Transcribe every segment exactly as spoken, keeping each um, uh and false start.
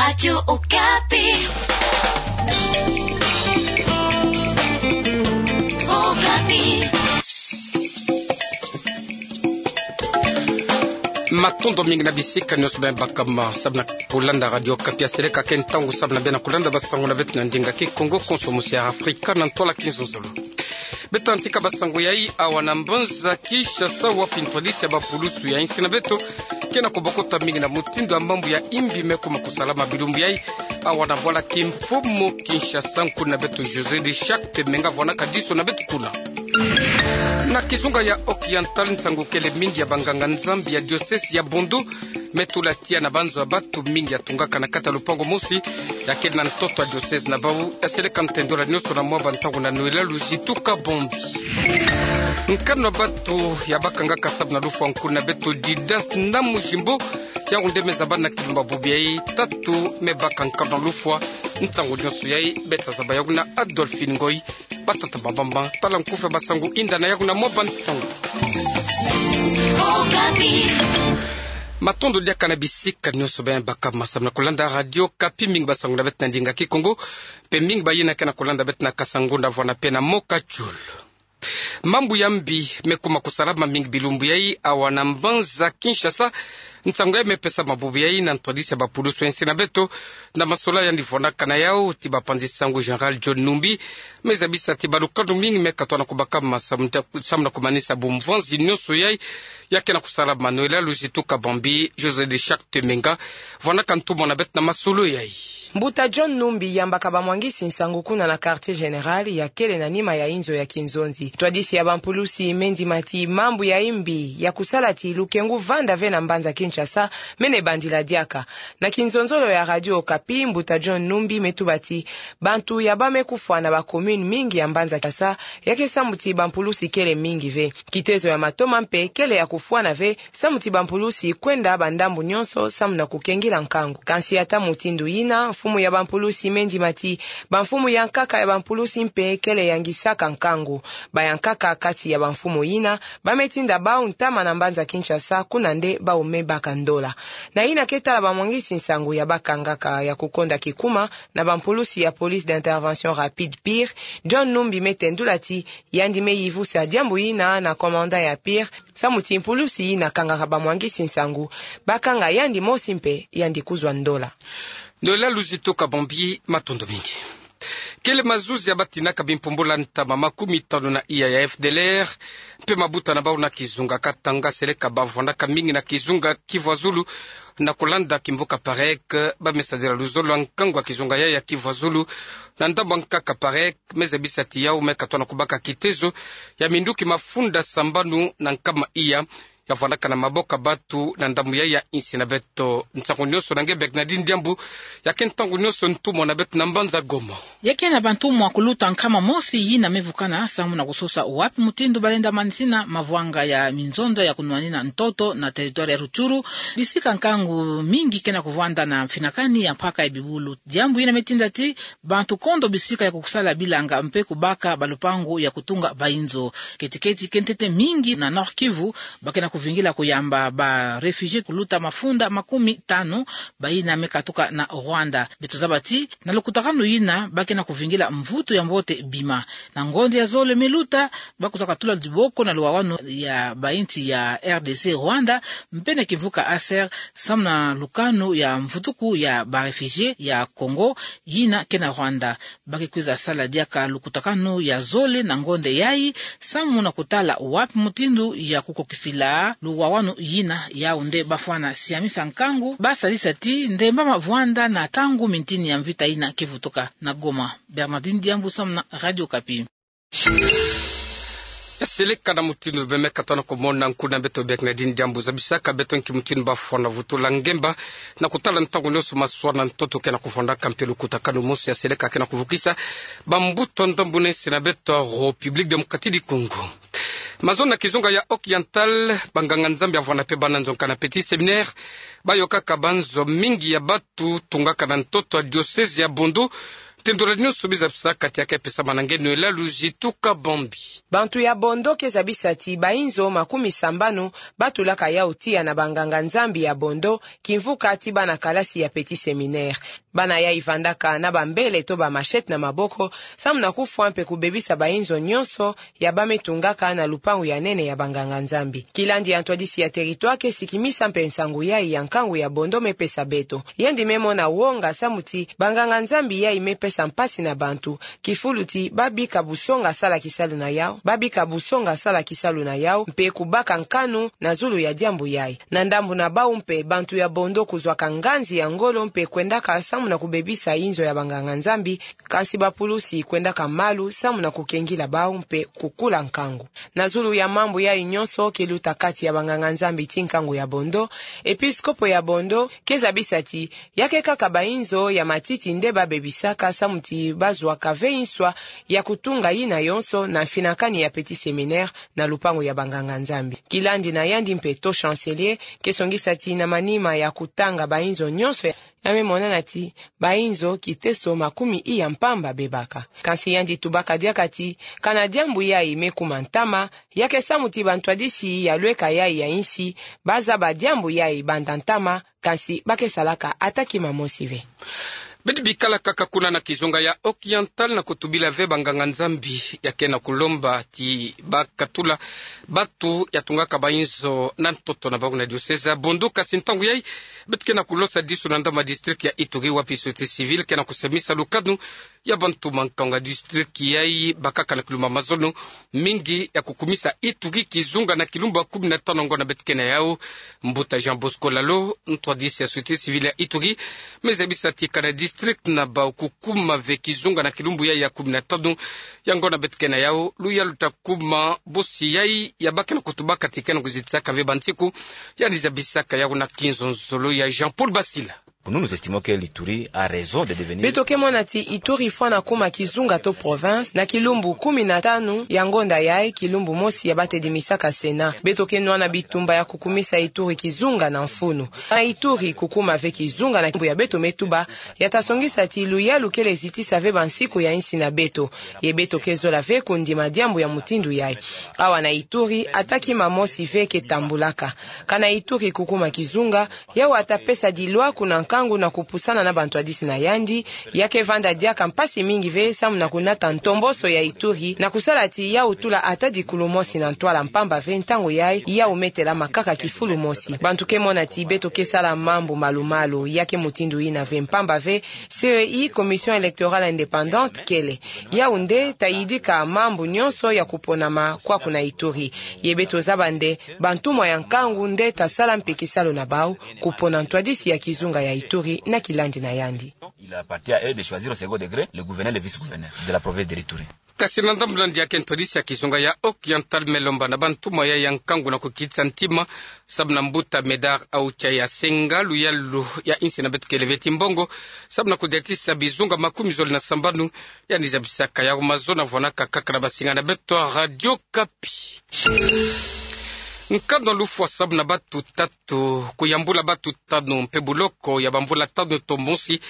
Radio Okapi. Okapi. Matondo mingi na bisika nyonso bima bakama samu na kulanda Radio Okapi. Ya seleka ke ntangu samu na beno kulanda basango na beto na ndinga Kikongo, konso musi ya Afrika na ntola kinzonzolo. Beto antika basango yai awa na mbanza Kinshasa, wapi ntwadisi ya bapulusu ya insi na beto ke na kubokota mingi na mutindu ya mambu ya imbi me kuma kusalama bilumbu yai. Awa na bwala kimfumu Kinshasa, nkuna beto José de Charte Menga vwanaka diso na beto kuna. Na kizunga ya Oriental, nsangu kele mingi ya banganga-Nzambi ya diocèse ya Bondo me tula tiya na banzo ya batu mingi ya tungaka na kati ya lupangu mosi ya kele na ntoto ya diocèse na bau. Ya seleka ntendola nyonso na mwa bantangu na Noëlla Luzitu Kabombi. Nkanu ya batu ya bakangaka samu na lufwa, nkuna beto Didas Namujimbo, yawu nde me zabana na kilumba bubu yai tatu me baka nkanu ya lufwa. Nsangu nyonso yai beta zaba yawu na Adolphine Ngoy. Batata bambamba, tala nkufi ya basango, inda na yawu na mwa bantangu. Okapi. Matondo diaka na bisika nyonso bima bakama samu na kulanda Radio Okapi. Mingi basango na beto na ndinga Kikongo, mpe mingi bayina ke na kulanda beto na Kasango na vwana mpe na Mokachul. Mambu ya mbi me kuma kusalama mingi bilumbu yai awa na mbanza Kinshasa. Nsangu yai me pesama bubu yai na ntwadisi ya bapulusu ya insi na beto, na masolani yandi vwanaka na yawu ti bapanzi-nsangu Général John Numbi, me zabisa ti balukanu mingi me katona kubakama samu na kumanisa bumvanzi nyonso yai ya ke na kusalama. Noëlla Luzitu Kabombi, José de Charte Menga vwanaka ntumwa na beto na masolo yai. Mbuta John Numbi yambaka bamwangisi-nsangu kuna na quartier général ya kele na nima ya inzo ya kinzonzi. Ntwadisi ya bampulusi me ndima ti mambu ya imbi ya kusala ti lukengu vanda ve na mbanza Kinshasa mene bandila diaka. Na kinzonzolo ya Radio Okapi, mbuta John Numbi me tuba ti bantu ya bas me kufwa na bacommune mingi ya mbanza Kinshasa ya ke samu ti bampulusi kele mingi ve. Kitezo ya matoma mpe kele ya kufwana ve samu ti bampulusi kwenda bandambu nyonso samu na kukengila nkangu. Kansi ata mutindu yina, mfumu ya bampulusi me ndima ti bamfumu ya nkaka ya bampulusi mpe kele yangisaka nkangu. Bayankaka kati ya bamfumu yina bas me tinda bau ntama na mbanza Kinshasa, kuna nde bau me baka ndola. Na yina ke tala bamwangisi-nsangu ya bakangaka ya kukonda kikuma na bampulusi ya Police d'Intervention Rapide, PIR, John Numbi me tendula ti yandi me yivusa diambu yina na commandant ya PIR, samu ti mpulusi yina kangaka bamwangisi-nsangu bakanga yandi mosi mpe yandi kuzwa ndola. Noëlla Luzitu Kabombi, matondo mingi. Kele mazuzi ya batinaka bimpumbula ntama makumi tanu na iya ya FDLR mpe mabuta na bau na kizunga Katanga, seleka bavwanaka mingi na kizunga Kivu ya Zulu, na kulanda kimvuka Parek, bas me sadila luzolo ya nkangu ya kizunga yai ya Kivu ya Zulu. Na ndambu ya nkaka Parek, me zabisa ti yau me katona kubaka kitezo ya minduki mafunda sambanu na nkama iya ya vwandaka na maboko ya batu na ndambu yai ya insi na beto. Nsangu nyonso na nge Bernardine Diambu, ya ke ntangu nyonso ntumwa na beto na mbanza Goma. Ya ke na bantumwa kuluta nkama mosi yina me vukana samu na kusosa wapi mutindu balenda manisina mavwanga ya minzonza ya kunwanina ntoto na territoire ya Rutshuru, bisika nkangu mingi ke na kuvwanda na mfinakani ya mpaka ya bibulu. Diambu yina me tinda ti bantu kondo bisika ya kukusala bilanga mpe kubaka balupangu ya kutunga bainzo. Keti-keti ke ntete mingi na Nord-Kivu ba ke na kuvingila kuyamba baréfugiés kuluta mafunda makumi tanu, bayina me katuka na Rwanda. Beto zaba ti na lukutakanu yina ba ke na kuvingila mvutu ya mbote bima. Na ngonde ya zole me luta, ba kwiza katula diboko na luwawanu ya bainsi ya RDC, Rwanda, mpe na kimvuka Aser, samu na lukanu ya mvutuku ya baréfugiés ya Congo yina ke na Rwanda. Ba ke kwiza sala diaka lukutakanu ya zole na ngonde yai, samu na kutala wapi mutindu ya kukokisila luwawanu yina. Yau nde bafwana siamisa nkangu, basadisa ti ndemba mavwanda na ntangu mintini ya mvita yina ke vutuka. Na Goma, Bernardine Diambu samu na Radio Okapi. Seleka na mutindu bima me katona kumona, nkuna beto Bernardine Diambu zabisaka beto nki mutindu bafwana vutula ngemba na kutala ntangu nyonso maswala na ntoto ke na kuvwandaka mpe lukutakanu mosi ya seleka ke na kuvukisa bambuta ndambu na insi na beto, République Démocratique du Congo. Mazono na kizunga ya Oriental, banganga-Nzambi ya vwanda mpe bana nzonka na Petit Séminaire bayokaka banzo mingi ya batu tungaka na ntoto ya diocèse ya Bondo Tendula nyonso biza pesa kati ya ke pesa manangeno elalu zituka bombi. Bantu ya Bondo ke zabisa ti bainzo makumi sambanu batulaka yau tiya na banganga-Nzambi ya Bondo, kimvuka ti bana kalasi ya Petit Séminaire. Bana yai vandaka na bambele to ba machette na maboko, samu na kufwa mpe kubebisa bainzo nyonso ya ba me tungaka na lupangu ya nene ya banganga-Nzambi. Kilandi ya ntwadisi ya territoire ke sikimisa mpe nsangu yai ya nkangu ya Bondo me pesa beto. Yandi me mona wonga samu ti banganga-Nzambi yai me pesa mpasi na bantu, kifulu ti ba bika busonga sala kisalu na yau, ba bika busonga sala kisalu na yau, mpe kubaka nkanu na zulu ya diambu yai. Na ndambu na bau mpe, bantu ya Bondo kuzwaka nganzi ya ngolo mpe kwendaka samu na kubebisa inzo ya banganga-Nzambi, kansi bapulusi kwendaka malu samu na kukengila bau mpe kukula nkangu. Na zulu ya mambu yai nyonso ke luta kati ya banganga-Nzambi ti nkangu ya Bondo, episkopo ya Bondo ke zabisa ti ya ke kaka bainzo ya matiti nde ba bebisaka samu ti bazwaka ve nswa ya kutunga yina yonso na mfinakani ya Petit Séminaire na lupangu ya banganga-Nzambi. Kilandi na yandi mpe to Chancelier ke songisa ti na manima ya kutanga bainzo nyonso ya ya me monana ti bainzo kiteso makumi iya mpamba bebaka. Kansi yandi tubaka diaka ti kana diambu yai me kuma ntama, ya ke samu ti bantwadisi ya lweka yai ya insi ba zaba diambu yai banda ntama, kansi ba ke salaka ata kima mosi ve. Bidi bikala kaka kuna na kizunga ya Occidental na kutubila ve banganga-Nzambi ya ke na kulomba ti ba katula batu ya tungaka bainzo na ntoto na bau na diocèse ya Bondo, kansi ntangu yai beto ke na kulosa disu na ndambu ya district ya Ituri, wapi société civile ke na kusemisa lukanu ya bantu mankanga district yai bakaka na kilumbu mazono mingi ya kukumisa Ituri kizunga na kilumbu ya kumi na tanu ya ngonda beto ke na yau. Mbuta Jean Bosco Lalo, ntwadisi ya société civile ya Ituri, me zabisa ti kana district na bau kukuma ve kizunga na kilumbu yai ya kumi na tanu ya ngonda beto ke na yau, luyalu ta kuma bosi yai ya ba ke na kutubaka ti ke na kuzitisaka ve bansiku, yandi zabisaka yau na kinzonzolo ya Jean-Paul Basila. Pour nous, nous estimons que l'Ituri a raison de devenir... Beto ke mona ti Ituri fwana kuma kizunga to province na kilumbu kumi na tanu ya ngonda yai, kilumbu mosi ya ba tedimisaka Sénat. Beto ke nwana bitumba ya kukumisa Ituri kizunga na mfunu. Na Ituri kukuma ve kizunga na kilumbu ya beto me tuba, ya ta songisa ti luyalu kele zitisa ve bansiku ya insi na beto. Ye beto ke zola ve kundima diambu ya mutindu yai. Awa na Ituri, ata kima mosi ve ke tambulaka. Kana Ituri kukuma kizunga, yau ata pesa dilwaku na nkangu na kupusana na bantwadisi na yandi, ya ke vanda diaka mpasi mingi ve samu na kunata ntomboso ya Ituri, na kusala ti yau tula ata dikulu mosi na ntwala mpamba ve ntangu yai, yau me telamakaka kifulu mosi. Bantu ke mona ti beto ke sala mambu malu-malu, ya ke mutindu yina ve mpamba ve, C E I, Commission électorale indépendante, kele. Yau nde ta yidika mambu nyonso ya kuponama kwaku na Ituri. Ye beto zaba nde bantumwa ya nkangu nde ta sala mpe kisalu na bau, kupona ntwadisi ya kizunga ya Ituri na kilandi na yandi. Il appartient à eux de choisir au second degré le gouverneur et le vice-gouverneur de la province de l'Ituri. Kasi na ndambu na yandi ya ke ntwadisi ya kizunga ya Occidental me lomba na bantumwa yai ya nkangu na kukitisa ntima, samu na mbuta Médard Aoutia ya senga luyalu ya insi na beto kele ve ti mbongo, samu na kudiatisa bizunga makumi zole na sambanu. Yandi zabisaka yau mazono vwanaka kaka na basinga na beto ya Radio Okapi. Nkanu ya lufwa samu na batu tatu, kuyambula batu tanu mpe buloko ya bamvula tanu to mosi,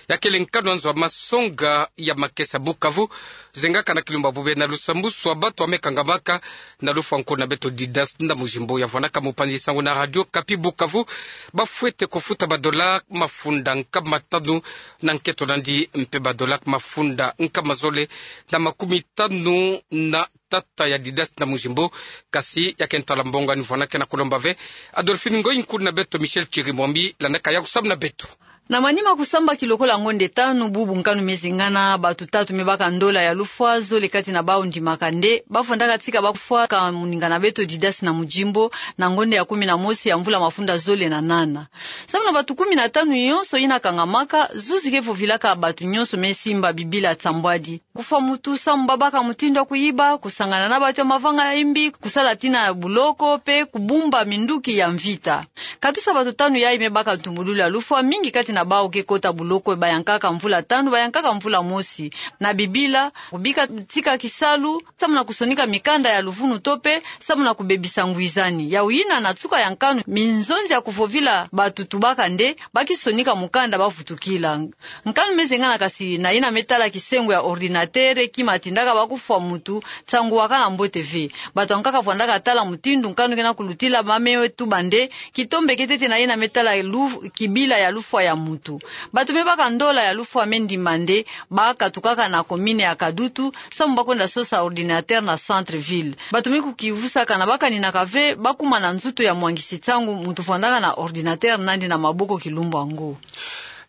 ya kele nkanu ya nzo ya masonga ya makesa Bukavu, zengaka na kilumbu ya bubena lusambusu ya batu ya me kangamaka na lufwa nkuna beto Didas Ndamujimbo, ya vwanaka mopanzi sango na Radio Okapi Bukavu, bafwete kufuta ba dollars mafunda nkama tanu na nketo na yandi, mpe ba dollars mafunda nkama zole na makumi tanu na tata ya Didas Ndamujimbo. Kasi ya ke ntwala mbongo yandi vwanaka na kulomba ve. Adolphine Ngoy, nkuna beto Michel Chirimwami landaka yau samu na beto. Na manima kusambaki lokola ngonde tanu bubu nkanu me zengana, batu tatu me baka ndola ya lufwa, zole kati na bau ndimaka nde bafwandaka tika bafwa ka moninga na beto Didas Ndamujimbo na ngonde ya kumi na mosi ya mvula mafunda zole na nana. Samu na batu kumi na tanu nyonso yina kangamaka, zuzi ke vovilaka batu nyonso me simba bibila nsambwadi. Kufwa mutu samu babaka mutindu ya kuyiba, kusangana na batu ya mavanga ya imbi, kusala tina ya buloko, mpe kubumba minduki ya mvita. Katusa batu tanu yai me baka ntumbululu ya lufwa, mingi kati na Bawu ke kota boloko bayankaka mvula tanu, bayankaka mvula mosi. Na bibila, kubika tika kisalu, samu na kusonika mikanda ya luvunu to pe samu na kubebisa ngwizani. Yawu yina na nsuka ya nkanu, minzonzi ya kuvovila bato tubaka nde, ba kisonika mukanda bavutukila. Nkanu me zengana, kasi na yina me tala kisengo ya ordinateur, kima tindaka ba kufwa mutu, nsangu wakana mbote ve. Bato yankaka vwandaka tala mutindu nkanu kena kulutila, ba me tuba nde, kitombeke ntete na yina me tala lu-, kibila ya lufwa ya mutu. Bato me baka ndola ya lufwa me ndima nde, ba katukaka na commune ya Kadutu, samu ba kwenda sosa ordinateur na centre-ville. Bato me kukivusaka na ba kaninaka ve, ba kuma na nzutu ya mwangisi nsangu, mutu vwandaka na ordinateur nandi na maboko kilumbu yango.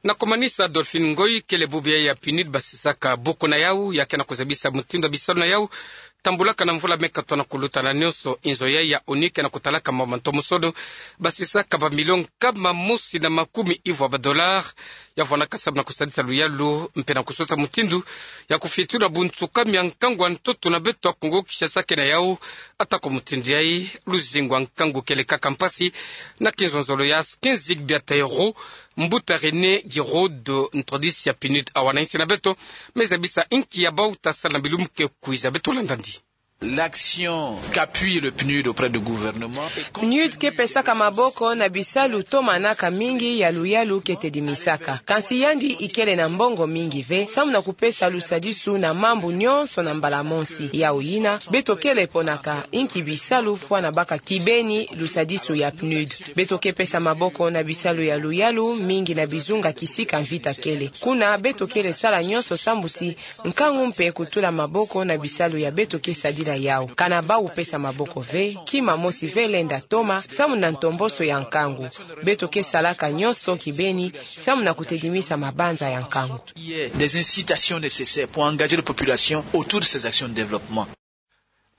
Na kumanisa, Adolphine Ngoy, kele bubu ya PNUD basisaka buku na yawu, ya kena kuzabisa mutindu ya bisalu na yawu, tambulaka na mvula me katwa na kuluta na nyonso. Inzo yayi ya ONU kena kutalaka mambu ma ntomosono, basisaka ba milio nkama mosi na makumi ivwa ba dollars, ya vwanaka samu na kusadisa luyalu, mpe na kusosa mutindu ya kufitula bunsuka mia nkangu ya ntoto na beto ya Kongo Kinshasa ke na yawu. Atako mutindu yayi, luzingu ya nkangu kele kaka mpasi, na kinzonzolo ya quinze biata euro. Mbuta René Giraude, ntwadisi ya PNUD awa na nsi na beto, me zabisa inki ya bawu ta sala na bilumbu ke kwiza. Beto landa ndi. L'action qu'appuie le PNUD auprès du gouvernement. PNUD ke pesaka maboko na bisalu tomanaka mingi ya luyalu ke tedimisaka. Kansi yandi ikele na mbongo mingi ve, samu na kupesa lusadisu na mambu nyonso na mbala mosi. Yawu yina, beto kele ponaka inki bisalu fwana baka kibeni lusadisu ya PNUD. Beto ke pesa maboko na bisalu ya luyalu mingi na bizunga kisika mvita kele. Kuna beto kele sala nyonso sambu ti nkangu mpe kutula maboko na bisalu ya beto ke sadila yawu. Kana bawu pesa maboko ve, kima mosi ve lenda toma, samu na ntomboso ya nkangu. Beto ke salaka nyonso kibeni, samu na kutedimisa mabanza ya nkangu. Des incitations nécessaires pour engager la population autour de ces actions de développement.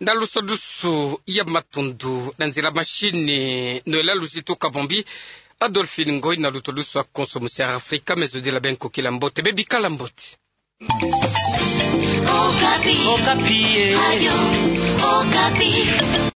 Na lusadisu ya matundu na nzila machine, Noëlla Luzito Kabombi, Adolphine Ngoy na luto lusu ya konso musi ya Afrika, me zodila beno kukila mbote, beno bikala mbote. Okapi. Okapi, eh. Radio Okapi.